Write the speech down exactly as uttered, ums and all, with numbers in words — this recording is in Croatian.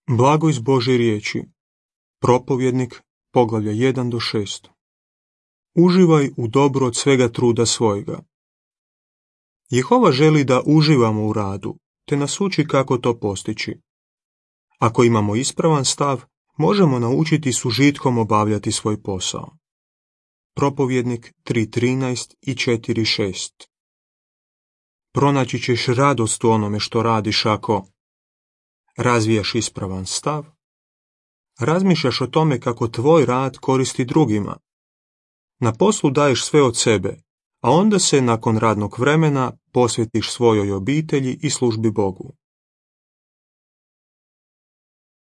Blago iz Božje riječi. Propovjednik, poglavlja jedan do šest. Uživaj u dobru od svega truda svojega. Jehova želi da uživamo u radu, te nas uči kako to postići. Ako imamo ispravan stav, možemo naučiti s užitkom obavljati svoj posao. Propovjednik tri trinaest i četiri šest. Pronaći ćeš radost u onome što radiš ako razvijaš ispravan stav, razmišljaš o tome kako tvoj rad koristi drugima, na poslu daješ sve od sebe, a onda se nakon radnog vremena posvetiš svojoj obitelji i službi Bogu.